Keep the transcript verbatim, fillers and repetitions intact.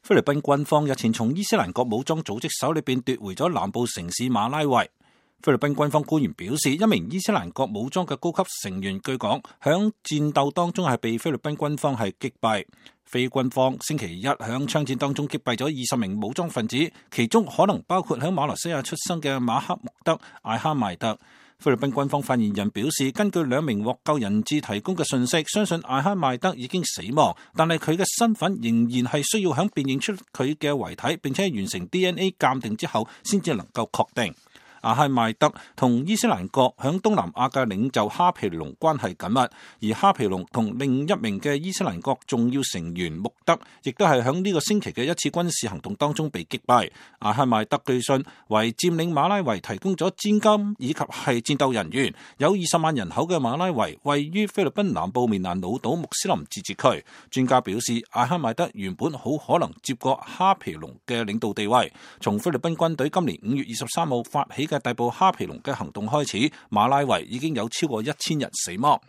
菲律賓軍方日前從伊斯蘭國武裝組織手裏邊奪回咗南部城市馬拉維。菲律賓軍方官員表示，一名伊斯蘭國武裝嘅高級成員據講響戰鬥當中係被菲律賓軍方係擊斃。菲軍方星期一響槍戰當中擊斃咗二十名武裝分子，其中可能包括響馬來西亞出生嘅馬克穆德艾哈邁特。菲律賓軍方發言人表示，根據兩名獲救人質提供嘅信息，相信艾哈邁德已經死亡，但係佢嘅身份仍然係需要響辨認出佢嘅遺體，並且完成 D N A 鑑定之後，先至能夠確定。艾哈邁德同伊斯蘭國響東南亞嘅領袖哈皮龍關係緊密，而哈皮龍同另一名嘅伊斯蘭國重要成員穆德，亦都係響呢個星期嘅一次軍事行動當中被擊斃。艾哈邁德據信為佔領馬拉維提供咗資金以及係戰鬥人員。有二十萬人口嘅馬拉維位於菲律賓南部棉蘭老島穆斯林自治區。專家表示，艾哈邁德原本好可能接過哈皮龍嘅領導地位。從菲律賓軍隊今年五月二十三號發起嘅逮捕哈皮龍嘅行動開始，馬拉維已經有超過一千人死亡。